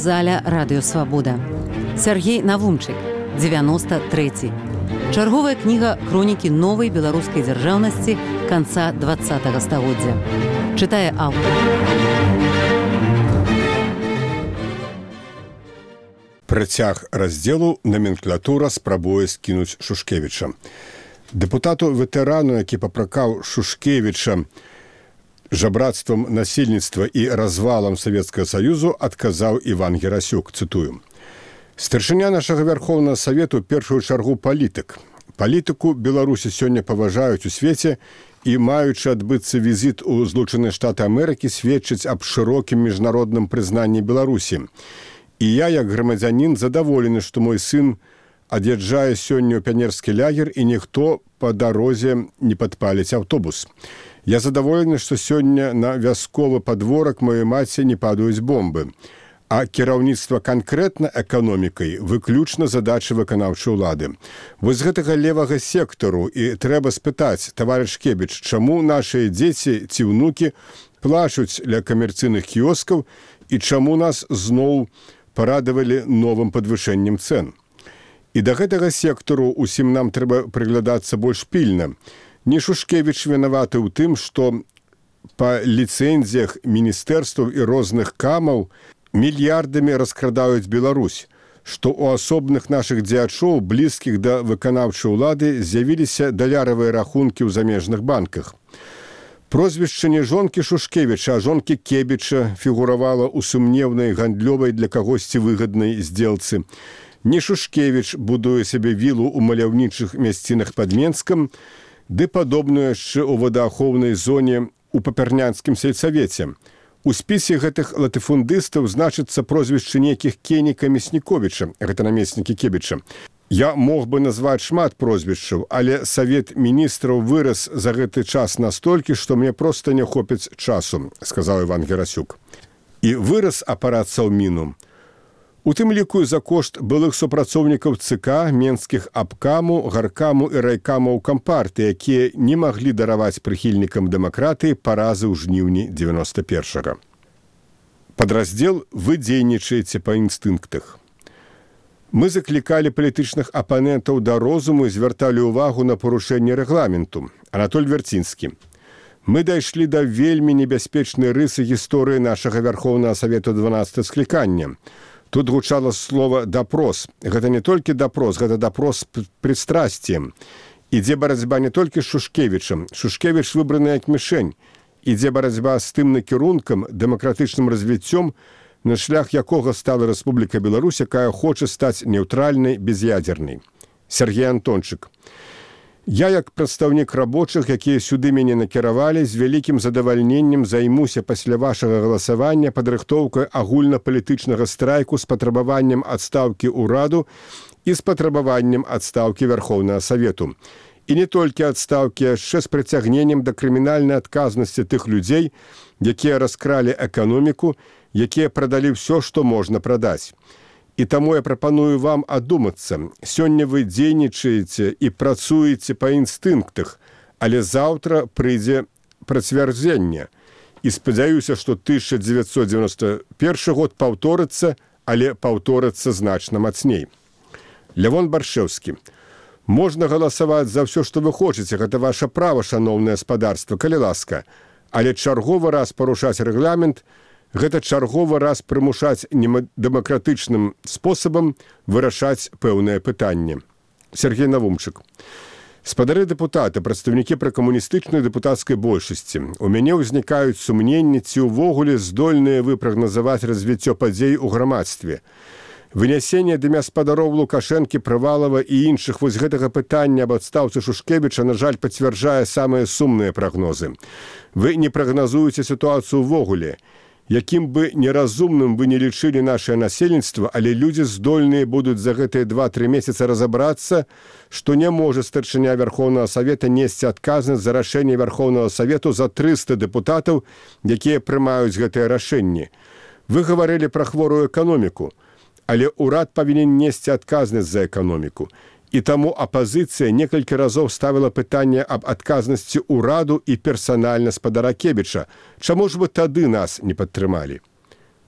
аўдыёзаля «Радыёсвабода». Сергей Навумчык, 93. Чарговая кніга хронікі новай беларускай дзяржаўнасці канца 20-го стагоддзя. Чытае аўтар. Працяг раздзелу «Наменклатура спрабуе скінуць Шушкевіча». Дэпутату-ветэрану, які папракаў Шушкевіча жабрацтвам насельніцтва і развалам Савецкага Саюзу, адказаў Іван Герасюк, цытую. «Старшыня нашага Вярхоўнага Савету ў першую чаргу палітык. Палітыку Беларусі сёння паважаюць у свеце і, маючы адбыцца візіт у Злучаныя Штаты Амерыкі, сведчыць аб шырокім міжнародным прызнанні Беларусі. І я, як грамадзянін, задаволены, што мой сын ад'язджае сёння ў піянерскі лагер і ніхто па дарозе не падпаліць аўтобус. Я задаволены, што сёння на вясковы падворак маёй маці не падаюць бомбы. А кіраўніцтва канкрэтна эканомікай выключна задачы выканаўчай улады. Вось з гэтага левага сектару і трэба спытаць, таварыш Кебіч, чаму нашыя дзеці ці ўнукі плачуць ля камерцыйных кіёскаў і чаму нас зноў парадавалі новым падвышэннем цэн. І да гэтага сектару усім нам трэба прыглядацца больш пільна. Не Шушкевіч вінаваты ў тым, што па ліцэнзіях міністэрстваў і розных камаў мільярдамі раскрадаюць Беларусь, што ў асобных нашых дзеячоў, блізкіх да выканаўчай улады, з'явіліся даляравыя рахункі ў замежных банках. Прозвішча не жонкі Шушкевіча, а жонкі Кебіча фігуравала ў сумнеўнай гандлёвай для кагосьці выгаднай здзелцы. Не Шушкевіч будуе сабе вілу ў маляўнічых мясцінах пад Менскам, ды падобную яшчэ ў водаахоўнай зоне ў папярнянскім сельсавеце. У спісе гэтых латыфундыстаў значыцца прозвішчы нейкіх Кеніка Мясніковіча, гэта намеснікі Кебіча. Я мог бы назваць шмат прозвішчаў, але Савет міністраў вырас за гэты час настолькі, што мне проста не хопіць часу, сказаў Іван Герасюк. І вырас апарат Саўміну. У тым ліку за кошт былых супрацоўнікаў ЦК, менскіх абкаму, гаркаму і райкамаў кампарты, якія не маглі дараваць прыхільнікам дэмакратыі паразы ў жніўні 91-го. Падраздзел «Вы дзейнічаеце па інстынктах». Мы заклікалі палітычных апанентаў да розуму і звярталі ўвагу на парушэнне рэгламенту. Анатоль Вярцінскі. Мы дайшлі да вельмі небяспечнай рысы гісторыі нашага Вярхоўнага Савету 12 склікання. Тут гучала слова «дапрос». Гэта не толькі дапрос, гэта дапрос пристрасціем. Ідзе барацьба не толькі з Шушкевічам. Шушкевіч выбраны як мішень. Ідзе барацьба з тым накірункам, дэмакратычным развіццём, на шлях якога стала Рэспубліка Беларусь, якая хоча стаць нейтральнай, без'ядзернай. Сергей Антончык. Я, як прадстаўнік рабочых, якія сюды мяне накіравалі, з вялікім задавальненнем займуся пасля вашага галасавання падрыхтоўкай агульнапалітычнага страйку з патрабаваннем адстаўкі ўраду і з патрабаваннем адстаўкі Вярхоўнага Савету. І не толькі адстаўкі, яшчэ з прыцягненнем да крымінальнай адказнасці тых людзей, якія раскралі эканоміку, якія прадалі ўсё, што можна прадаць. І таму я прапаную вам адумацца. Сёння вы дзейнічаеце і працуеце па інстынктах, але заўтра прыйдзе працвярджэнне. І спадзяюся, што 1991 год паўторыцца, але паўторыцца значна мацней. Лявон Баршэўскі. Можна галасаваць за ўсё, што вы хочаце. Гэта ваша права, шаноўнае гаспадарства, калі ласка. Але чарговы раз парушаць рэгламент – гэта чарговы раз прымушаць недэмакратычным спосабам вырашаць пэўнае пытанне. Сергей Навумчык. Спадары дэпутаты, прадстаўнікі пракамуністычнай дэпутацкай большасці. У мяне ўзнікаюць сумненні, ці ўвогуле здольныя вы прагназаваць развіццё падзей у грамадстве. Вынясенне дымя спадароў Лукашэнкі, Прывалава і іншых вось гэтага пытання аб адстаўцы Шушкевіча, на жаль, пацвярджае самыя сумныя прагнозы. Вы не прагназуеце сітуацыю ўвогуле. Якім бы неразумным вы не лічылі нашае насельніцтва, але людзі здольныя будуць за гэтыя 2-3 месяцы разабрацца, што не можа старшыня Вярхоўнага Савета несці адказнасць за рашэнне Вярхоўнага Савету за 300 дэпутатаў, якія прымаюць гэтыя рашэнні. Вы гаварылі пра хворую эканоміку, але ўрад павінен несці адказнасць за эканоміку. І таму апазіцыя некалькі разоў ставіла пытанне аб адказнасці ўраду і персанальна спадара Кебіча. Чаму ж вы тады нас не падтрымалі?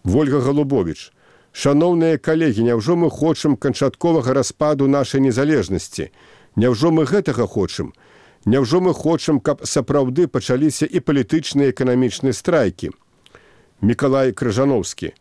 Вольга Галубовіч. Шаноўныя калегі, няўжо мы хочам канчатковага распаду нашай незалежнасці? Няўжо мы гэтага хочам? Няўжо мы хочам, каб сапраўды пачаліся і палітычныя і эканамічныя страйкі? Мікалай Крыжановскі.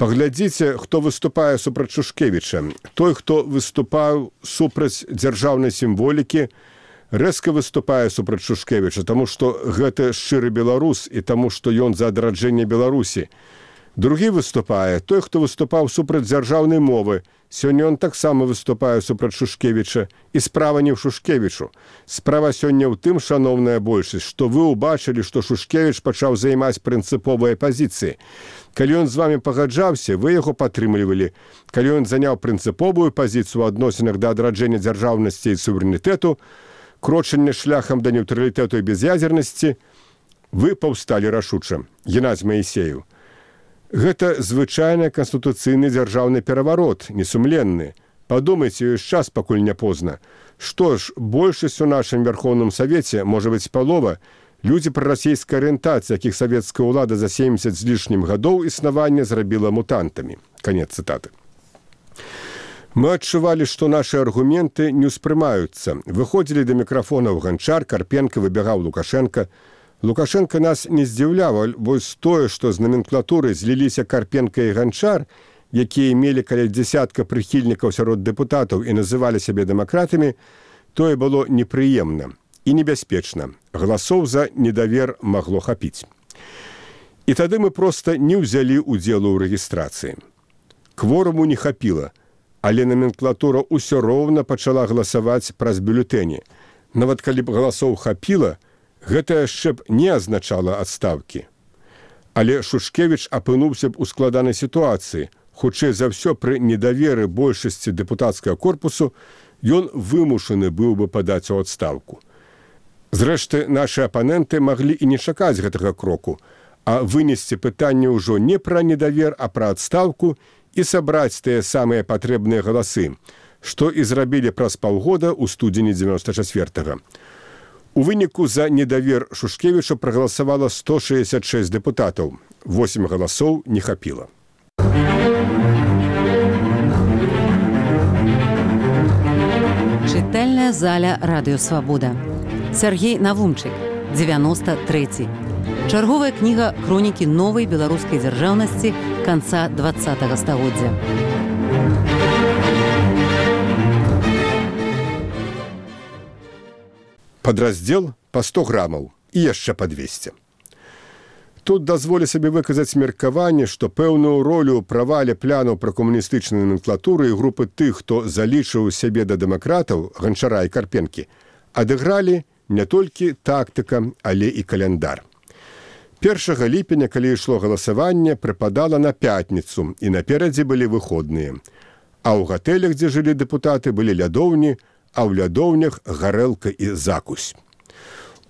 Паглядзіце, хто выступае супраць Шушкевіча. Той, хто выступаў супраць дзяржаўнай сімволікі, рэзка выступае супраць Шушкевіча, таму што гэта шчыры беларус і таму, што ён за адраджэнне Беларусі. Другі выступае той, хто выступаў супраць дзяржаўнай мовы. Сёння ён таксама выступае супраць Шушкевіча. І справа не ў Шушкевічу. Справа сёння ў тым, шаноўная большасць, што вы ўбачылі, што Шушкевіч пачаў займаць прынцыповыя пазіцыі. Калі ён з вамі пагаджаўся, вы яго падтрымлівалі. Калі ён заняў прынцыповую пазіцыю ў адносінах да адраджэння дзяржаўнасці і суверэнітэту, крочання шляхам да нейтралітэту і без'ядзернасці, вы паўсталі рашуча. Геннадзь Маісеев. Гэта звычайны канстытуцыйны дзяржаўны пераварот, несумленны. Падумайце, ёсць час, пакуль не позна. Што ж, большасць у нашым Верховным Савеце, можа быць, палова, людзі прарасійскай арыентацыі, якіх савецкая ўлада за 70 з лішнім гадоў існавання зрабіла мутантамі. Канец цытаты. Мы адчувалі, што нашы аргументы не ўспрымаюцца. Выходзілі да мікрафонаў Ганчар, Карпенка, выбегаў Лукашенко. Лукашенко нас не здзіўляў, вось тое, што з номенклатуры зліліся Карпенка і Ганчар, якія мелі каля дзясятка прыхільнікаў сярод дэпутатаў і называлі сябе дэмакратамі, тое было непрыемна і небяспечна. Галасоў за недавер магло хапіць. І тады мы проста не ўзялі ўдзелу ў рэгістрацыі. Кворуму не хапіла, але номенклатура ўсё роўна пачала галасаваць праз бюлетэні. Нават калі б галасоў хапіла, гэта яшчэ б не азначала адстаўкі. Але Шушкевіч апынуўся б у складанай сітуацыі. Хутчэй за ўсё, пры недаверы большасці дэпутацкага корпусу ён вымушаны быў бы падаць у адстаўку. Зрэшты, нашы апаненты маглі і не чакаць гэтага кроку, а вынесці пытанне ўжо не пра недавер, а пра адстаўку і сабраць тыя самыя патрэбныя галасы, што і зрабілі праз паўгода ў студзені 94-го. У выніку за недавер Шушкевіча прагаласавала 166 дэпутатаў. 8 галасоў не хапіла. Чытальная заля Радыё Свабода. Сергей Навумчык, 93. Чарговая кніга хронікі новай беларускай дзяржаўнасці канца 20-го стагоддзя. Падраздзел па 100 грамаў і яшчэ па 200. Тут дазволю сабе выказаць меркаванне, што пэўную ролю ў правале планаў пра камуністычную номенклатуру і групы тых, хто залічыў сябе да дэмакратаў, Ганчара і Карпенкі, адыгралі не толькі тактыка, але і каляндар. 1 ліпеня, калі ішло галасаванне, прыпадала на пятніцу, і наперадзе былі выходныя. А ў гатэлях, дзе жылі дэпутаты, былі лядоўні, а ў лядоўнях гарэлка і закусь.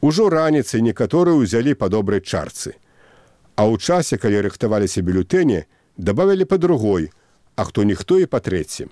Ужо раніцай некаторыя ўзялі па добрай чарцы. А ў часе, калі рыхтаваліся бюлетэні, дабавілі па другой, а хто-ніхто і па трэці.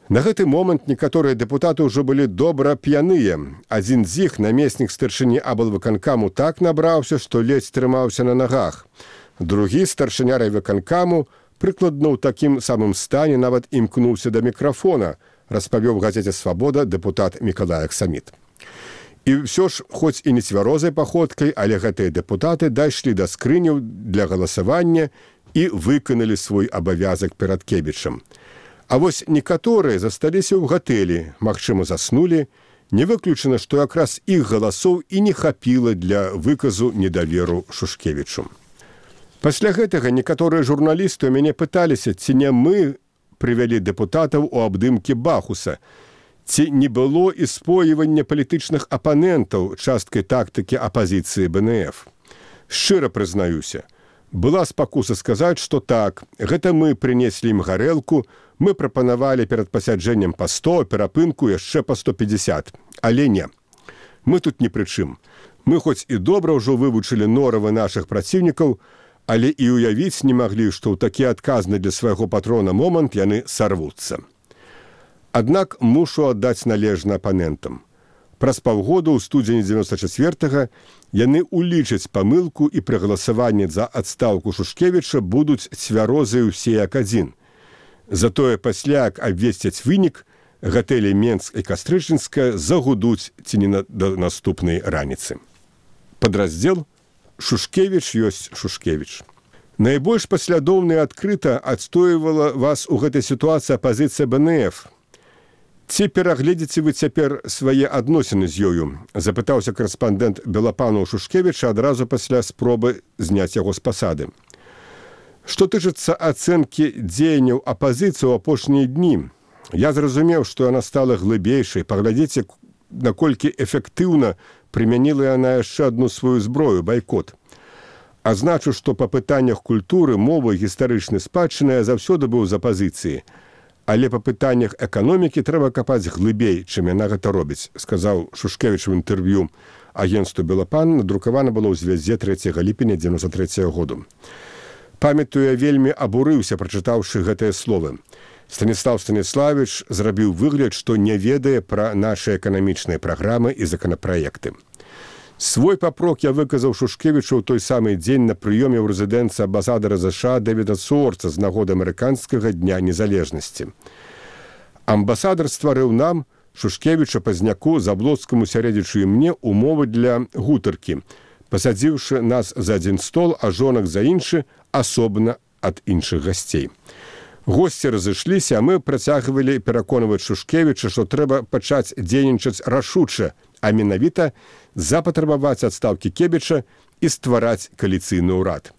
На гэты момант некаторыя дэпутаты ўжо былі добра п'яныя. Адзін з іх, намеснік старшыні аблвыканкаму, так набраўся, што ледзь трымаўся на нагах. Другі, старшыня райвыканкаму, прыкладна ў такім самым стане нават імкнуўся да мікрафона, распавёў газеце «Свабода» дэпутат Мікалай Аксаміт. І ўсё ж, хоць і не цвярозай паходкай, але гэтыя дэпутаты дайшлі да скрыняў для галасавання і выканалі свой абавязак перад Кебічам. А вось некаторыя засталіся ў гатэлі, магчыма, заснулі, не выключана, што якраз іх галасоў і не хапіла для выказу недаверу Шушкевічу. Пасля гэтага некаторыя журналісты ў мяне пыталіся, ці не мы прывялі дэпутатаў у абдымкі Бахуса, ці не было і споівання палітычных апанентаў часткай тактыкі апазіцыі БНФ. Шчыра прызнаюся, была спакуса сказаць, што так, гэта мы прынеслі ім гарэлку, мы прапанавалі перад пасяджэннем па 100, перапынку яшчэ па 150. Але не. Мы тут ні пры чым. Мы хоць і добра ўжо вывучылі норавы нашых праціўнікаў, але і ўявіць не маглі, што ў такі адказны для свайго патрона момант яны сарвуцца. Аднак мушу аддаць належна апанентам. Праз паўгода ў студзені 94-го яны улічаць памылку і пры галасаванні за адстаўку Шушкевіча будуць цвярозыя ўсе як адзін. Затое пасля, як абвесцяць вынік, гатэлі Менск і Кастрычынска загудуць ці не да наступнай раніцы. Падраздзел «Шушкевіч ёсць Шушкевіч». Найбольш паслядоўна і адкрыта адстойвала вас у гэтай сітуацыі апазіцыя БНФ. Ці перагледзіце вы цяпер свае адносіны з ёю? Запытаўся карэспандэнт Белапану Шушкевіча адразу пасля спробы зняць яго з пасады. Што тычыцца ацэнкі дзеянняў апазіцыі ў апошнія дні, я зразумеў, што яна стала глыбейшай. Паглядзіце, наколькі эфектыўна прымяніла яна яшчэ адну сваю зброю – байкот. Азначу, што па пытаннях культуры, мовы, гістарычнай спадчыны я заўсёды быў з апазіцыі. Але па пытаннях эканомікі трэба капаць глыбей, чым яна гэта робіць, сказаў Шушкевіч у інтэрв'ю агенцтву «Белапан», надрукавана было ў звяззе 3 ліпеня 93 году. Памятаю, я вельмі абурыўся, прачытаўшы гэтыя словы. Станіслав Станіславіч зрабіў выгляд, што не ведае пра нашы эканамічныя праграмы і законапраекты. Свой папрок я выказаў Шушкевічу ў той самы дзень на прыёме ў рэзідэнцыі амбасадара США Дэвіда Суорца з нагоды амерыканскага дня незалежнасці. Амбасадар стварыў нам, Шушкевіча, Пазняку, Заблоцкаму, Сярэдзічу і мне умовы для гутаркі, пасадзіўшы нас за адзін стол, а жонак за іншы, асобна ад іншых гасцей. Госці разышліся, а мы працягвалі пераконваць Шушкевіча, што трэба пачаць дзейнічаць рашуча, а менавіта запатрабаваць адстаўкі Кебіча і ствараць кааліцыйны ўрад.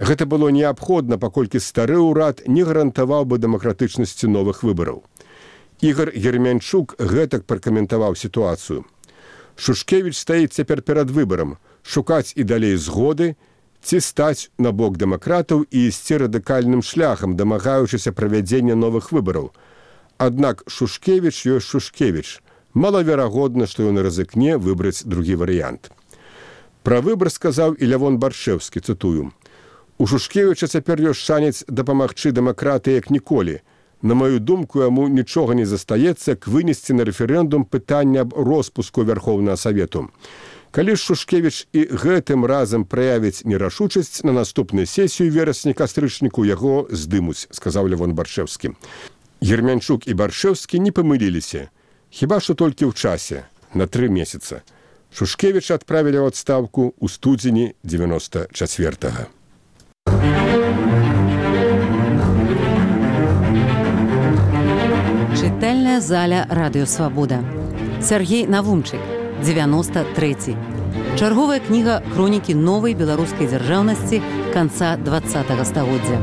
Гэта было неабходна, паколькі стары ўрад не гарантаваў бы дэмакратычнасці новых выбараў. Ігор Гермянчук гэтак пракаментаваў сітуацыю. Шушкевіч стаіць цяпер перад выбарам – шукаць і далей згоды, ці стаць на бок дэмакратаў і ісці радыкальным шляхам, дамагаючыся правядзення новых выбараў. Аднак Шушкевіч ёсць Шушкевіч. Малаверагодна, што ён рызыкне выбраць другі варыянт. Пра выбар сказаў і Лявон Баршэўскі, цытую. «У Шушкевіча цяпер ёсць шанец дапамагчы дэмакратыі як ніколі. На маю думку, яму нічога не застаецца, як вынесці на рэферэндум пытанне аб роспуску Вярхоўнага Савету. Калі ж Шушкевіч і гэтым разам праявіць нерашучасць, на наступную сесію верасні-кастрычніку яго здымуць», сказаў Лявон Баршэўскі. Гермянчук і Баршэўскі не памыліліся. Хіба што толькі ў часе, на 3 месяца. Шушкевіча адправілі ў адстаўку ў студзені 94-го. Чытальная заля Радыё Свабода. Сергей Навумчык, 93. Чарговая кніга хронікі новай беларускай дзяржаўнасці канца 20-го стагоддзя.